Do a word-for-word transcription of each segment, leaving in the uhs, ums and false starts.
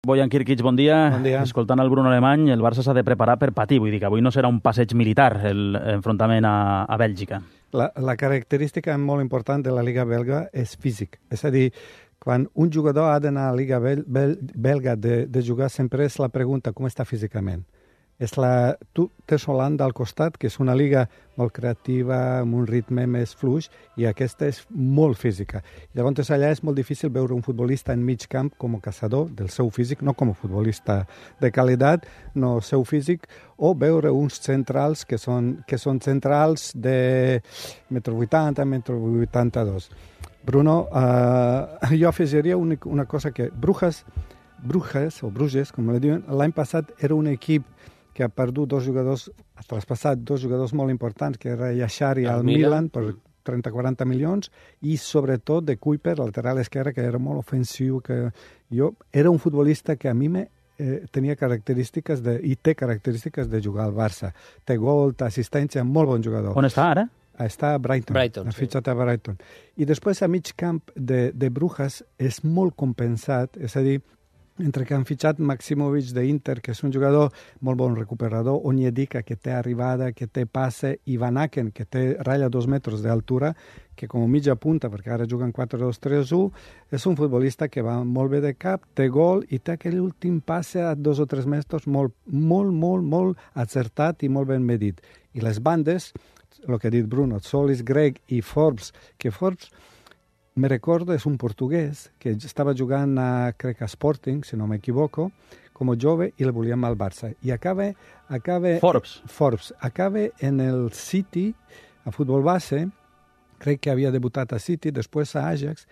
Bojan Kirkic, bon dia. Bon dia. Escoltant el Bruno Alemany, el Barça s'ha de preparar per patir. Vull dir que avui no serà un passeig militar l'enfrontament a, a Bèlgica. La, la característica molt important de la Liga belga és físic. És a dir, quan un jugador ha d'anar a la Liga bel, bel, belga de, de jugar, sempre és la pregunta com està físicament. És la, tu tens Holanda al costat, que és una liga molt creativa, amb un ritme més fluix, i aquesta és molt física. Llavors allà és molt difícil veure un futbolista en mig camp com a caçador del seu físic, no com a futbolista de qualitat, no seu físic, o veure uns centrals que són, que són centrals de metro vuitanta, metro vuitanta-dos. Bruno, uh, jo afegiria una, una cosa que Brujas, Bruges, o Bruges, com li diuen, l'any passat era un equip que ha perdut dos jugadors, ha traspassat dos jugadors molt importants, que era Yashari al Milan per trenta a quaranta milions, i sobretot de Kuiper, lateral esquerre, que era molt ofensiu. Que jo era un futbolista que a mi me, eh, tenia característiques de, i té característiques de jugar al Barça. Té gol, té assistència, molt bon jugador. On està ara? Està a Brighton, Brighton ha fitxat sí. a Brighton. I després a mig camp de, de Brujas és molt compensat, és a dir, entre que han fitxat Maximovic d'Inter, que és un jugador molt bon recuperador, Onyedika, que té arribada, que té passe, i Van Aken, que té ratlla dos metres d'altura, que com a mitja punta, perquè ara juguen quatre dos tres u, és un futbolista que va molt bé de cap, té gol i té aquell últim passe a dos o tres metres molt, molt, molt, molt acertat i molt ben medit. I les bandes, el que ha dit Bruno, Solis, Greg i Forbes, que Forbes, me recordo, és un portuguès que estava jugant a, crec, a Sporting, si no m'equivoco, com a jove, i el volíem al Barça. I acaba... acaba Forbes. Forbes. Acaba en el City, a futbol base, crec que havia debutat a City, després a Ajax.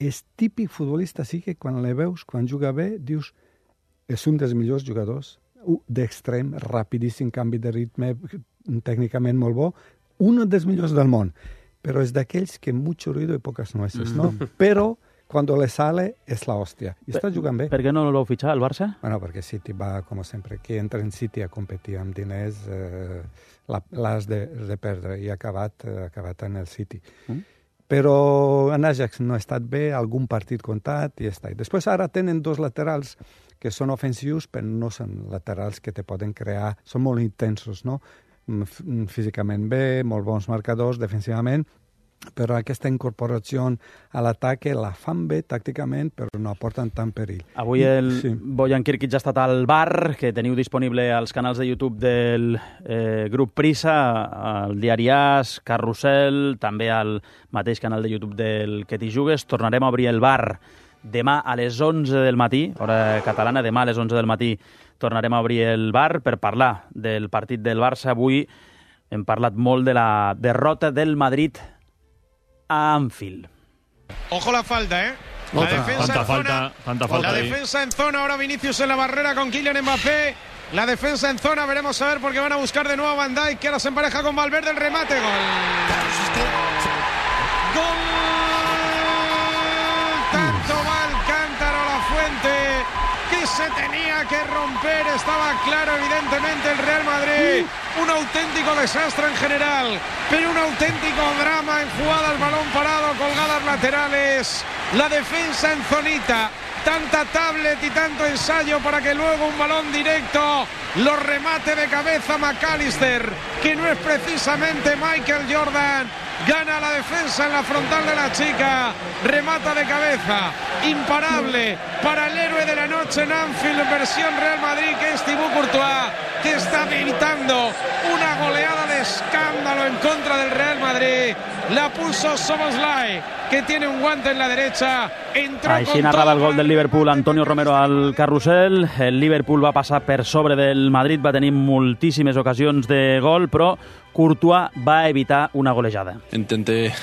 És típic futbolista, sí que quan le veus, quan juga bé, dius, és un dels millors jugadors, d'extrem, rapidíssim, canvi de ritme, tècnicament molt bo, un dels millors del món. Pero es de aquellos que mucho ruido y pocas nueces, ¿no? Pero cuando le sale es la hostia. Y está jugando bien. ¿Por qué no lo ficha al Barça? Bueno, porque City va, como siempre, que entra en City a competir amb diners, eh, l'has de, de perdre, i ha acabat, ha acabat en el City. Mm. Però en Ajax no ha estat bé, algun partit comptat i ja està. I després ara tenen dos laterals que són ofensius, però no són laterals que te poden crear, són molt intensos, no? Físicament bé, molt bons marcadors defensivament, però aquesta incorporació a l'atac la fan bé tàcticament, però no aporten tant perill. Avui el sí. Bojan Kirkic ha estat al bar, que teniu disponible als canals de YouTube del eh, grup Prisa, al diari As, Carrusel, també al mateix canal de YouTube del Que t'hi jugues. Tornarem a obrir el bar demà a les onze del matí, hora catalana, demà a les onze del matí tornarem a obrir el bar per parlar del partit del Barça. Avui hem parlat molt de la derrota del Madrid a Anfield. Ojo la falta, ¿eh? La Otra, defensa tanta en falta, zona, tanta falta la ahí. defensa en zona, ahora Vinicius en la barrera con Kylian Mbappé. La defensa en zona, veremos a ver porque van a buscar de nuevo a Van Dijk, que ahora se empareja con Valverde, el remate, gol. ¡Gol! Tanto va el cántaro a la fuente que se tenía que romper, estaba claro evidentemente el Real Madrid. Un auténtico desastre en general, pero un auténtico drama en jugadas, balón parado, colgadas laterales, la defensa en zonita, tanta tablet y tanto ensayo para que luego un balón directo lo remate de cabeza McAllister, que no es precisamente Michael Jordan. Gana la defensa en la frontal de la chica, remata de cabeza, imparable para el héroe de la noche en Anfield, versión Real Madrid, que es Thibaut Courtois, que está gritando una goleada de escándalo en contra del Real Madrid. La puso Szoboszlai, que tiene un guante en la derecha. Entró Així narrava el gol del Liverpool Antonio Romero al Carrusel. El Liverpool va passar per sobre del Madrid, va tenir moltíssimes ocasions de gol, però Courtois va evitar una golejada. Intenté eh,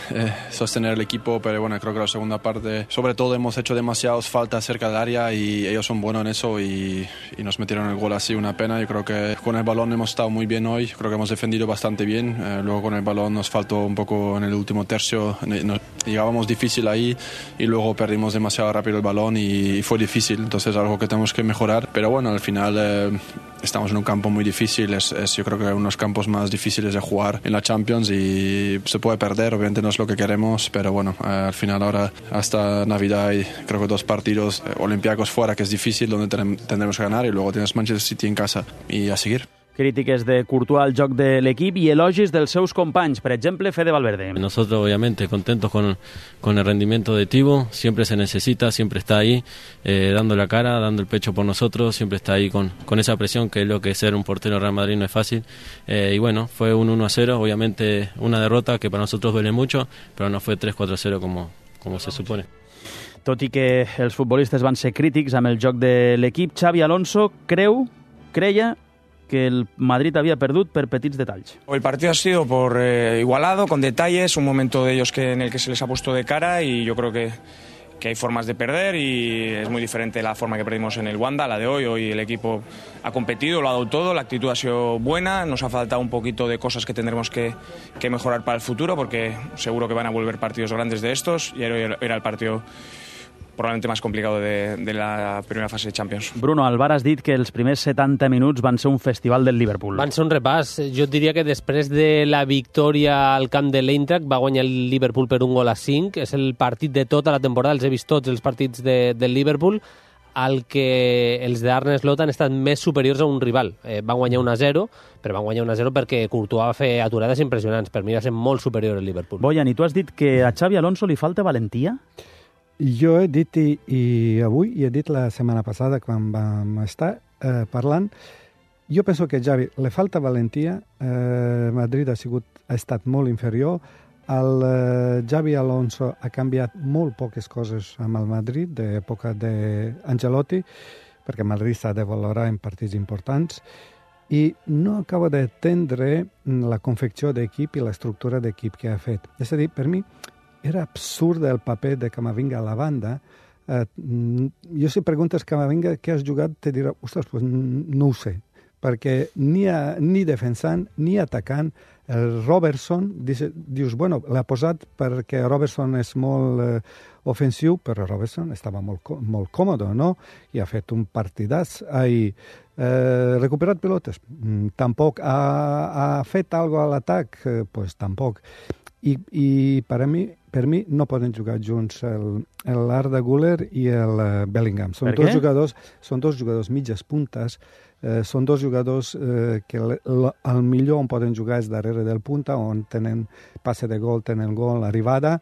sostener el equipo, pero bueno, creo que la segunda parte, sobre todo hemos hecho demasiadas faltas cerca del área y ellos son buenos en eso y, y nos metieron el gol así, una pena. Yo creo que con el balón hemos estado muy bien hoy, creo que hemos defendido bastante bien, eh, luego con el balón nos faltó un poco en el último tercio, nos, llegábamos jugamos difícil ahí y luego perdimos demasiado rápido el balón y fue difícil, entonces es algo que tenemos que mejorar, pero bueno, al final eh, estamos en un campo muy difícil, es, es yo creo que uno de los campos más difíciles de jugar en la Champions y se puede perder, obviamente no es lo que queremos, pero bueno, eh, al final ahora hasta Navidad hay creo que dos partidos, eh, Olympiacos fuera que es difícil, donde ten, tendremos que ganar y luego tienes Manchester City en casa y a seguir. Crítiques de Courtois al joc de l'equip i elogis dels seus companys, per exemple, Fede Valverde. Nosotros, obviamente, contentos con, con el rendimiento de Thibaut, siempre se necesita, siempre está ahí, eh, dando la cara, dando el pecho por nosotros, siempre está ahí con, con esa presión, que es lo que ser un portero de Real Madrid no es fácil. Eh, y bueno, fue un uno a cero, obviamente una derrota que para nosotros duele mucho, pero no fue tres cuatro a cero como, como se supone. Tot i que els futbolistes van ser crítics amb el joc de l'equip, Xavi Alonso creu, creia que el Madrid había perdido por petits detalles. El partido ha sido por eh, igualado, con detalles, un momento de ellos que, en el que se les ha puesto de cara y yo creo que, que hay formas de perder y es muy diferente la forma que perdimos en el Wanda, la de hoy. Hoy el equipo ha competido, lo ha dado todo, la actitud ha sido buena, nos ha faltado un poquito de cosas que tendremos que, que mejorar para el futuro porque seguro que van a volver partidos grandes de estos y hoy era el partido probablement més complicat de, de la primera fase de Champions. Bruno, al bar has dit que els primers setanta minuts van ser un festival del Liverpool. Van ser un repàs. Jo et diria que després de la victòria al camp de l'Eintracht va guanyar el Liverpool per un gol a cinc. És el partit de tota la temporada, els he vist tots els partits de, del Liverpool, al que els d'Arne Slot han estat més superiors a un rival. Eh, van guanyar un a zero, però van guanyar un a zero perquè Courtois va fer aturades impressionants. Per mi va ser molt superior el Liverpool. Bojan, i tu has dit que a Xavi Alonso li falta valentia? Jo he dit, i, i avui, i he dit la setmana passada quan vam estar eh, parlant, jo penso que Xavi le falta valentia, eh, Madrid ha, sigut, ha estat molt inferior, el eh, Xavi Alonso ha canviat molt poques coses amb el Madrid, d'època d'Ancelotti, perquè Madrid s'ha de valorar en partits importants, i no acaba d'entendre la confecció d'equip i l'estructura d'equip que ha fet. És a dir, per mi, era absurd el paper de Camavinga a la banda. Eh, jo si preguntes Camavinga què has jugat, te dirà, ostres, pues no ho sé, perquè ni, a, ni defensant ni atacant. El Robertson, dius, bueno, l'ha posat perquè Robertson és molt eh, ofensiu, però Robertson estava molt, molt còmode, no? I ha fet un partidàs ahir. Eh, recuperat pilotes? Mm, tampoc. Ha, ha fet alguna cosa a l'atac? Eh, pues tampoc. I, i per, a mi, per mi no poden jugar junts el, el Arda Güler i el uh, Bellingham. Són dos jugadors, són dos jugadors mitges puntes, eh, són dos jugadors eh, que el, el millor on poden jugar és darrere del punta, on tenen passe de gol, tenen gol, arribada,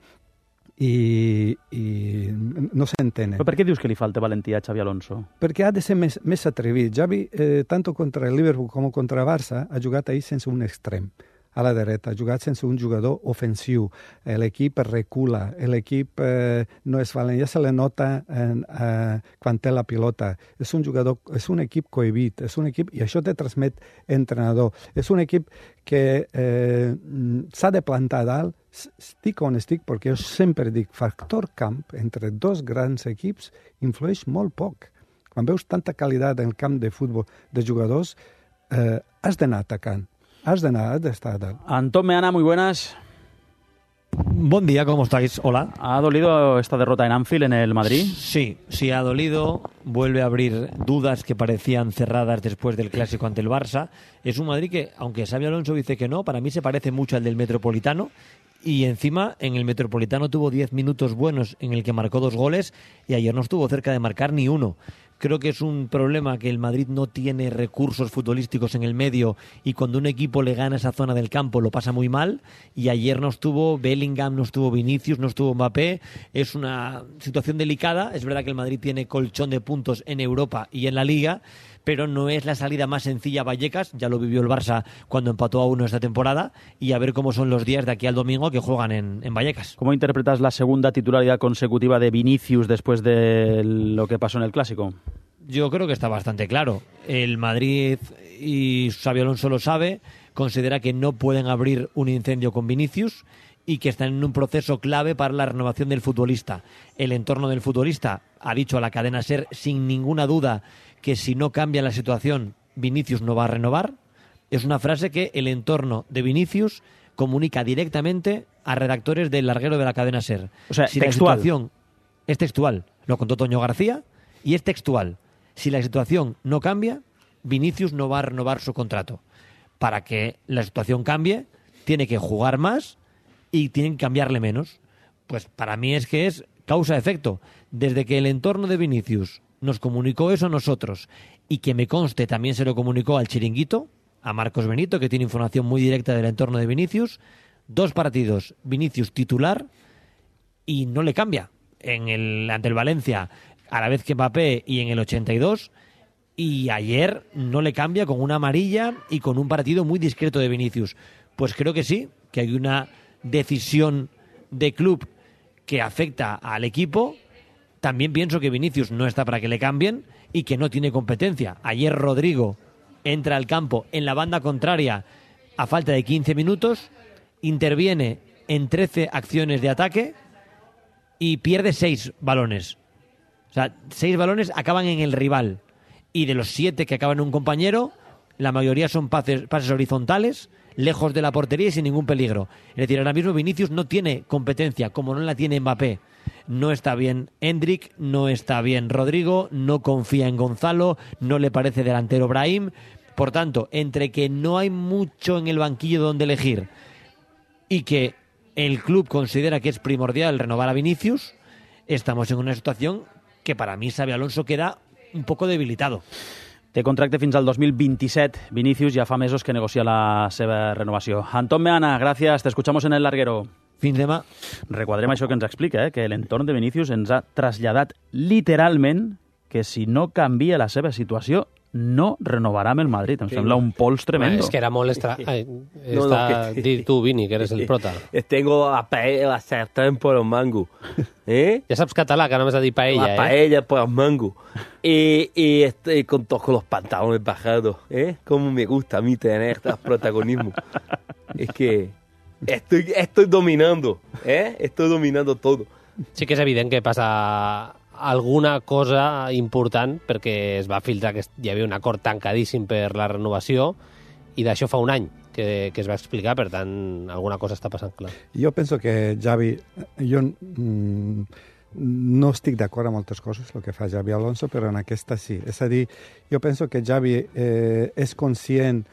i, i no s'entenen. Però per què dius que li falta valentia a Xavi Alonso? Perquè ha de ser més, més atrevit. Xavi, eh, tant contra el Liverpool com contra Barça, ha jugat ahir sense un extrem a la dreta, ha jugat sense un jugador ofensiu. L'equip recula, l'equip eh, no és valent, ja se le nota en, eh, quan té la pilota. És un jugador, és un equip cohibit, és un equip, i això te transmet entrenador. És un equip que eh, s'ha de plantar dalt, estic on estic, perquè jo sempre dic, factor camp entre dos grans equips influeix molt poc. Quan veus tanta qualitat en el camp de futbol de jugadors, eh, has d'anar atacant. Has de nada, has de estar. Antón Meana, muy buenas. Buen día, ¿cómo estáis? Hola. ¿Ha dolido esta derrota en Anfield, en el Madrid? Sí, sí ha dolido. Vuelve a abrir dudas que parecían cerradas después del clásico ante el Barça. Es un Madrid que, aunque Xabi Alonso dice que no, para mí se parece mucho al del Metropolitano. Y encima, en el Metropolitano tuvo diez minutos buenos en el que marcó dos goles y ayer no estuvo cerca de marcar ni uno. Creo que es un problema que el Madrid no tiene recursos futbolísticos en el medio y cuando un equipo le gana esa zona del campo lo pasa muy mal. Y ayer no estuvo Bellingham, no estuvo Vinicius, no estuvo Mbappé. Es una situación delicada. Es verdad que el Madrid tiene colchón de puntos en Europa y en la Liga, pero no es la salida más sencilla a Vallecas. Ya lo vivió el Barça cuando empató a uno esta temporada y a ver cómo son los días de aquí al domingo que juegan en, en Vallecas. ¿Cómo interpretas la segunda titularidad consecutiva de Vinicius después de lo que pasó en el Clásico? Yo creo que está bastante claro. El Madrid, y Xabi Alonso lo sabe, considera que no pueden abrir un incendio con Vinicius y que están en un proceso clave para la renovación del futbolista. El entorno del futbolista ha dicho a la cadena SER sin ninguna duda que si no cambia la situación, Vinicius no va a renovar. Es una frase que el entorno de Vinicius comunica directamente a redactores del larguero de la cadena SER. O sea, si textual. La situación es textual, lo contó Toño García, y es textual. Si la situación no cambia, Vinicius no va a renovar su contrato. Para que la situación cambie, tiene que jugar más y tienen que cambiarle menos. Pues para mí es que es causa-efecto. Desde que el entorno de Vinicius nos comunicó eso a nosotros, y que me conste también se lo comunicó al Chiringuito, a Marcos Benito, que tiene información muy directa del entorno de Vinicius, dos partidos, Vinicius titular, y no le cambia. En el, ante el Valencia, a la vez que Mbappé, y en el ochenta y dos, y ayer no le cambia con una amarilla y con un partido muy discreto de Vinicius. Pues creo que sí, que hay una decisión de club que afecta al equipo. También pienso que Vinicius no está para que le cambien y que no tiene competencia. Ayer Rodrigo entra al campo en la banda contraria a falta de quince minutos, interviene en trece acciones de ataque y pierde seis balones. O sea, seis balones acaban en el rival, y de los siete que acaban en un compañero, la mayoría son pases, pases horizontales, lejos de la portería y sin ningún peligro. Es decir, ahora mismo Vinicius no tiene competencia, como no la tiene Mbappé. No está bien Endrick, no está bien Rodrigo, no confía en Gonzalo, no le parece delantero Brahim. Por tanto, entre que no hay mucho en el banquillo donde elegir y que el club considera que es primordial renovar a Vinicius, estamos en una situación que para mí Xabi Alonso queda un poco debilitado. Té contracte fins al dos mil veintisiete. Vinicius ja fa mesos que negocia la seva renovació. Antón Meana, gràcies. Te escuchamos en el larguero. Fins demà. Requadrem això que ens explica, eh? Que l'entorn de Vinicius ens ha traslladat literalment que si no canvia la seva situació no renovarà amb el Madrid. Em sí, sembla un pols tremendo. Es que era molt estra... Ai, no, no, que... Di tu, Vini, que eres el prota. Tengo la paella, la sartén por los mangos. ¿Eh? Ja saps català, que no m'has de dir paella, la eh? La paella por los mangos. Y, y estoy con todos con los pantalones bajados. ¿Eh? Cómo me gusta a mí tener este protagonismo. Es que estoy, estoy dominando, ¿eh? Estoy dominando todo. Sí que és evident que passa alguna cosa important, perquè es va filtrar que hi havia un acord tancadíssim per la renovació, i d'això fa un any que, que es va explicar, per tant, alguna cosa està passant clar. Jo penso que Xavi... Jo mm, no estic d'acord amb moltes coses, el que fa Xavi Alonso, però en aquesta sí. És a dir, jo penso que Xavi eh, és conscient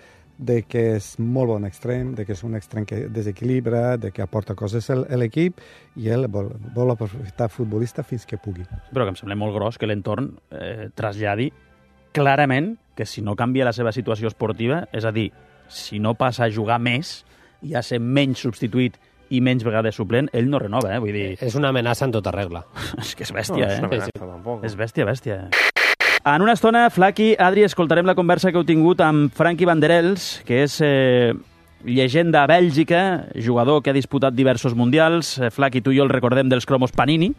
de que és molt bon extrem, de que és un extrem que desequilibra, de que aporta coses a l'equip, i ell vol, vol aprofitar futbolista fins que pugui. Però que em sembla molt gros que l'entorn eh, traslladi clarament que si no canvia la seva situació esportiva, és a dir, si no passa a jugar més i a ser menys substituït i menys vegades suplent, ell no renova, eh? Vull dir... És una amenaça en tota regla. És que és bèstia, no, és eh? una amenaça, tampoc. És bèstia, bèstia. En una estona, Flaqui, Adri, escoltarem la conversa que heu tingut amb Frankie Banderels, que és eh, llegenda a Bèlgica, jugador que ha disputat diversos mundials. Eh, Flaqui, tu i jo el recordem dels cromos Panini,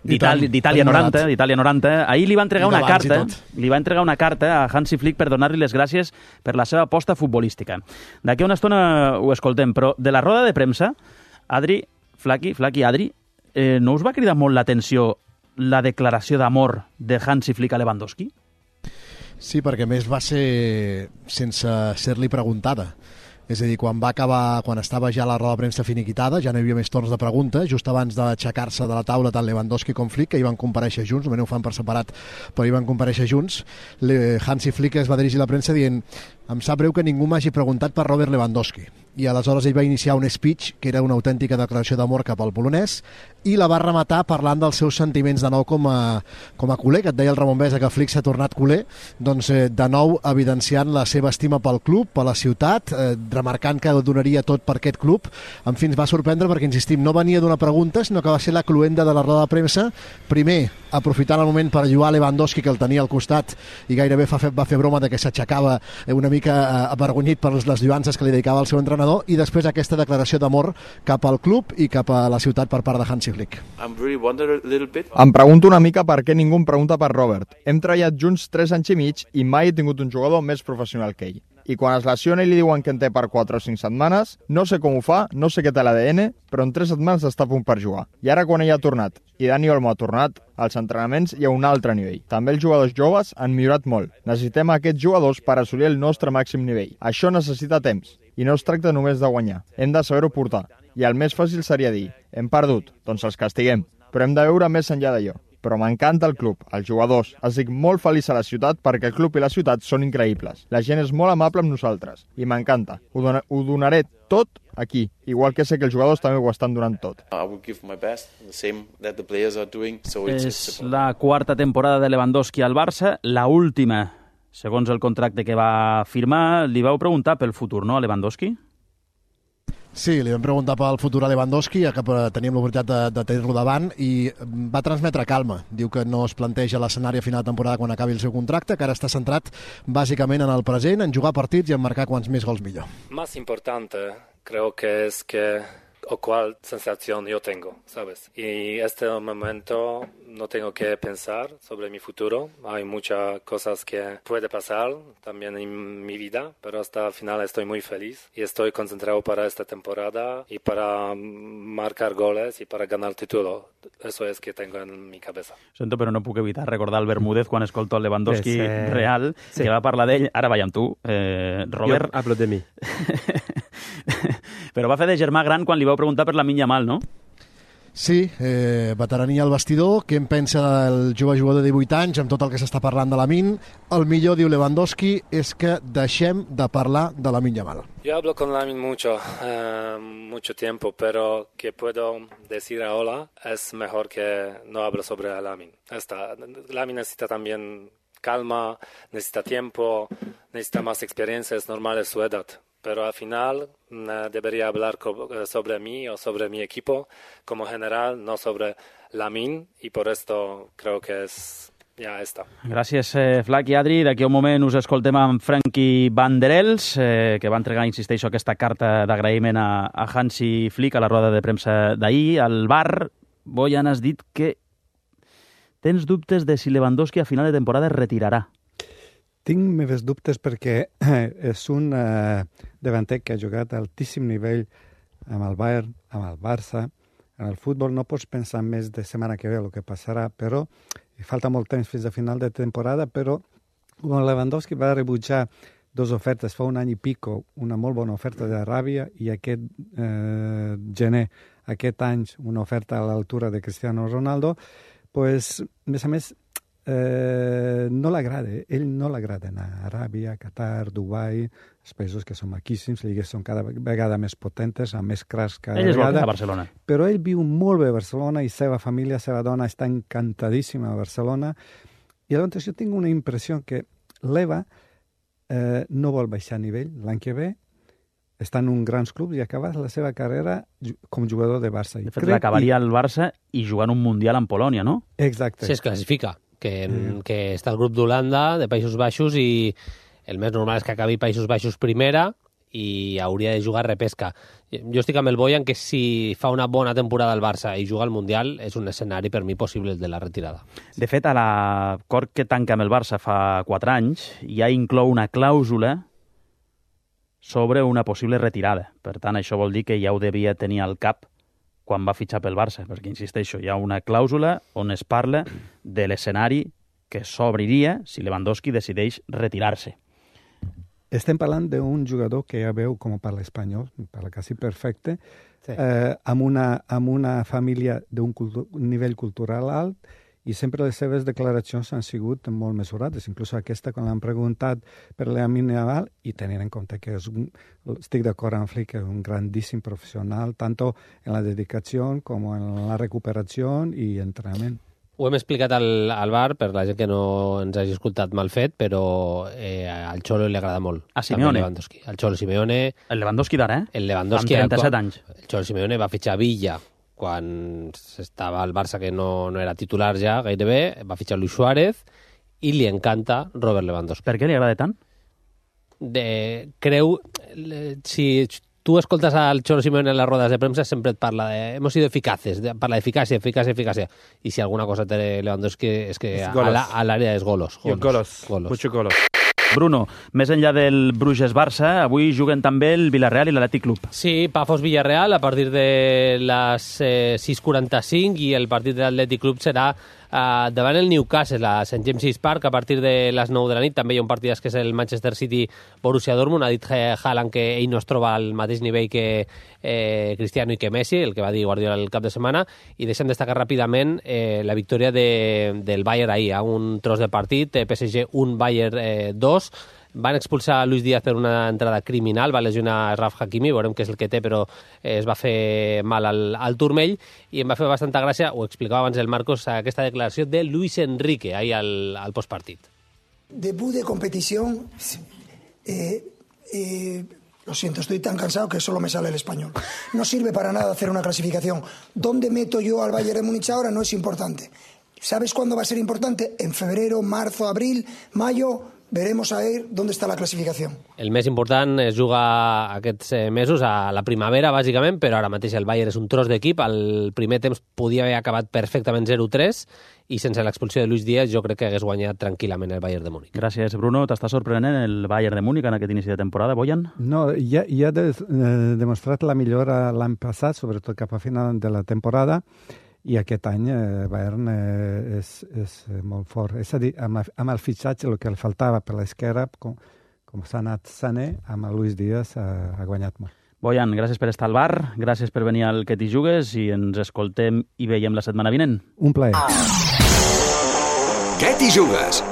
d'Itàlia noranta, d'Itàlia noranta. Ahir li va entregar una carta, li va entregar una carta a Hansi Flick per donar-li les gràcies per la seva aposta futbolística. D'aquí a una estona ho escoltem, però de la roda de premsa, Adri, Flaqui, Flaqui, Adri, eh, no us va cridar molt l'atenció la declaració d'amor de Hansi Flick a Lewandowski? Sí, perquè a més va ser sense ser-li preguntada. És a dir, quan va acabar, quan estava ja la roda de premsa finiquitada, ja no hi havia més torns de pregunta, just abans d'aixecar-se de la taula tant Lewandowski com Flick, que hi van comparèixer junts, només ho fan per separat, però hi van comparèixer junts. Hansi Flick es va dirigir a la premsa dient: em sap greu que ningú m'hagi preguntat per Robert Lewandowski. I aleshores ell va iniciar un speech que era una autèntica declaració d'amor cap al polonès, i la va rematar parlant dels seus sentiments de nou com a, com a culer, que et deia el Ramon Besa que Flick s'ha tornat culer, doncs eh, de nou evidenciant la seva estima pel club, per la ciutat, eh, remarcant que donaria tot per aquest club. En fi, ens va sorprendre perquè, insistim, no venia d'una pregunta, sinó que va ser la cluenda de la roda de premsa, primer aprofitant el moment per ajudar Lewandowski, que el tenia al costat, i gairebé fa, va fer broma de que s'aixecava una mica eh, avergonyit per les lluances que li dedicava al seu entrenador, i després aquesta declaració d'amor cap al club i cap a la ciutat per part de Hansi Flick. Em pregunto una mica per què ningú em pregunta per Robert. Hem treballat junts tres anys i mig i mai he tingut un jugador més professional que ell. I quan es lesiona i li diuen que en té per quatre o cinc setmanes, no sé com ho fa, no sé què té l'A D N, però en tres setmanes està a punt per jugar. I ara quan ell ha tornat, i Dani Olmo ha tornat, als entrenaments hi ha un altre nivell. També els jugadors joves han millorat molt. Necessitem aquests jugadors per assolir el nostre màxim nivell. Això necessita temps. I no es tracta només de guanyar, hem de saber-ho portar. I el més fàcil seria dir, hem perdut, doncs els castiguem, però hem de veure més enllà d'allò. Però m'encanta el club, els jugadors. Estic molt feliç a la ciutat perquè el club i la ciutat són increïbles. La gent és molt amable amb nosaltres i m'encanta. Ho, don ho donaré tot aquí, igual que sé que els jugadors també ho estan donant tot. És la quarta temporada de Lewandowski al Barça, la última, segons el contracte que va firmar. Li vau preguntar pel futur, no, a Lewandowski? Sí, li vam preguntar pel futur a Lewandowski, ja que teníem l'oportunitat de, de tenir-lo davant, i va transmetre calma. Diu que no es planteja l'escenari a final de temporada quan acabi el seu contracte, que ara està centrat bàsicament en el present, en jugar partits i en marcar quants més gols millor. Más importante creo que es que o cuál sensación yo tengo, ¿sabes? Y este momento no tengo que pensar sobre mi futuro. Hay muchas cosas que puede pasar también en mi vida, pero hasta el final estoy muy feliz y estoy concentrado para esta temporada y para marcar goles y para ganar el título. Eso es que tengo en mi cabeza. Sento, però no puc evitar recordar el Bermúdez quan escolto el Lewandowski pues, eh... real, sí. Que va parlar d'ell. Ara vaig amb tu, eh, Robert. Jo hablo de mi. Però va fer de germà gran quan li vau preguntar per Lamine Yamal, no? Sí, eh, veterania al vestidor. Què en pensa el jove jugador de divuit anys amb tot el que s'està parlant de Lamine? El millor, diu Lewandowski, és que deixem de parlar de Lamine Yamal. Yo hablo con Lamine mucho, eh, mucho tiempo, pero que puedo decir ahora es mejor que no hablo sobre Lamine. Esta, Lamine necesita también calma, necesita tiempo, necesita más experiencia, es normal de su edad. Pero al final eh, debería hablar sobre mí o sobre mi equipo como general, no sobre Lamine, y por esto creo que es ja està. Gràcies, eh, Flac i Adri. D'aquí a un moment us escoltem amb Frankie Van der Els, eh, que va entregar, insisteixo, aquesta carta d'agraïment a, a Hansi Flick a la roda de premsa d'ahir. Al bar, Bojan, has dit que tens dubtes de si Lewandowski a final de temporada es retirarà. Tinc meves dubtes perquè eh, és un eh, davanter que ha jugat a altíssim nivell amb el Bayern, amb el Barça. En el futbol no pots pensar més de setmana que ve el que passarà, però falta molt temps fins a final de temporada, però Lewandowski va rebutjar dues ofertes fa un any i pico, una molt bona oferta d'Aràbia i aquest eh, gener, aquest any, una oferta a l'altura de Cristiano Ronaldo, pues, a més a més, Eh, no l'agrada, ell no l'agrada anar a Aràbia, Qatar, Dubai, els països que són maquíssims, les lligues són cada vegada més potentes, amb més cracs cada ell vegada. Ell és a Barcelona. Però ell viu molt bé a Barcelona i seva família, seva dona està encantadíssima a Barcelona. I llavors jo tinc una impressió que l'Eva eh, no vol baixar nivell l'any que ve, està en un grans clubs i acabar la seva carrera com jugador de Barça. De fet, l'acabaria al Barça i jugant un Mundial en Polònia, no? Exacte. Si es classifica. Que, mm. que està el grup d'Holanda, de Països Baixos, i el més normal és que acabi Països Baixos primera i hauria de jugar repesca. Jo estic amb el Bojan que si fa una bona temporada al Barça i juga al Mundial és un escenari per mi possible el de la retirada. De fet, a l'acord que tanca amb el Barça fa quatre anys ja inclou una clàusula sobre una possible retirada. Per tant, això vol dir que ja ho devia tenir al cap quan va fitxar pel Barça, perquè, insisteixo, hi ha una clàusula on es parla de l'escenari que s'obriria si Lewandowski decideix retirar-se. Estem parlant d'un jugador que ja veu com parla espanyol, parla quasi perfecte, sí. eh, amb, una, amb una família d'un cultu- nivell cultural alt, i sempre les seves declaracions han sigut molt mesurades. Inclús aquesta, quan l'han preguntat per Lamine Yamal, i tenint en compte que és un, estic d'acord amb Flick, que és un grandíssim professional, tant en la dedicació com en la recuperació i entrenament. Ho hem explicat al, al bar, per la gent que no ens hagi escoltat mal fet, però eh, al Xolo li agrada molt. A Simeone. Lewandowski. Al Xolo Simeone... El Lewandowski d'ara, eh? El Lewandowski... Amb trenta-set anys. El Xolo Simeone va fitxar Villa quan estava al Barça, que no, no era titular ja gairebé, va fitxar Luis Suárez i li encanta Robert Lewandowski. Per què li agrada tant? De, creu, si tu escoltes al Xolo Simeone en les rodes de premsa, sempre et parla de hemos sido eficaces, de, parla d'eficàcia, eficàcia, eficàcia. I si alguna cosa té Lewandowski és que es a l'àrea és golos. Golos, golos, golos. Mucho golos. Bruno, més enllà del Bruges-Barça, avui juguen també el Villarreal i l'Atlètic Club. Sí, Pafos-Villarreal a partir de les eh, sis quaranta-cinc i el partit de l'Atlètic Club serà Uh, davant el Newcastle a Saint James's Park a partir de les nou de la nit. També hi ha un partit que és el Manchester City-Borussia Dortmund. Ha dit Haaland que ell no es troba al mateix nivell que eh, Cristiano i que Messi, el que va dir Guardiola el cap de setmana, i deixem destacar ràpidament eh, la victòria de, del Bayern ahir, a un tros de partit, P S G un, Bayern eh, dos. Van expulsar a Luis Díaz per una entrada criminal, va lesionar Raf Hakimi, veurem què és el que té, però es va fer mal al, al turmell, i em va fer bastanta gràcia, ho explicava abans el Marcos, aquesta declaració de Luis Enrique, ahí al, al postpartit. Debut de competición, eh, eh, lo siento, estoy tan cansado que solo me sale el español. No sirve para nada hacer una clasificación. ¿Dónde meto yo al Bayern de Múnich ahora? No es importante. ¿Sabes cuándo va a ser importante? En febrero, marzo, abril, mayo... Veremos a ver dónde está la clasificación. El més important es juga aquests mesos a la primavera, bàsicament, però ara mateix el Bayern és un tros d'equip. El primer temps podia haver acabat perfectament zero tres i sense l'expulsió de Luis Díaz jo crec que hagués guanyat tranquil·lament el Bayern de Múnich. Gràcies, Bruno. T'està sorprenent el Bayern de Múnich en aquest inici de temporada, Boyan? No, ja, ja ha de, eh, demostrat la millora l'any passat, sobretot cap a final de la temporada, i aquest any eh, Bayern eh, és, és molt fort. És a dir, amb, amb el fitxatge, el que li faltava per l'esquerra, com, com s'ha anat Sané, amb el Luis Díaz ha, ha guanyat molt. Boyan, gràcies per estar al bar, gràcies per venir al Que t'hi jugues i ens escoltem i veiem la setmana vinent. Un plaer. Que t'hi jugues?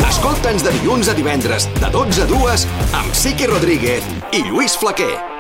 Escolta'ns de dilluns a divendres, de dotze a dues, amb Sique Rodríguez i Lluís Flaquer.